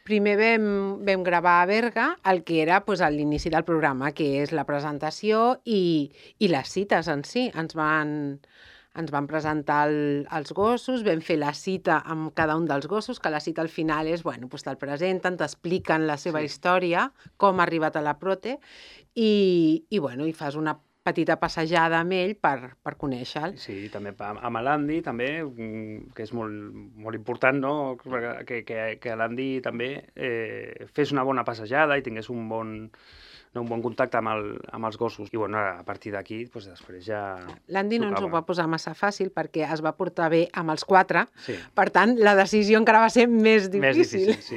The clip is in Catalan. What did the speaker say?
Primer vam gravar a Berga el que era l'inici del programa, que és la presentació i les cites en si. Ens van presentar els gossos, vam fer la cita amb cada un dels gossos, que la cita al final és, te'l presenten, t'expliquen la seva història, com ha arribat a la Prote, i fas una petita passejada amb ell per conèixer-lo. Sí, també amb l'Andy, també, que és molt important, no?, que l'Andy també fes una bona passejada i tingués un bon contacte amb els gossos. I a partir d'aquí, després ja... L'Andy no ens ho va posar massa fàcil perquè es va portar bé amb els 4, sí. Per tant, la decisió encara va ser més difícil. Sí.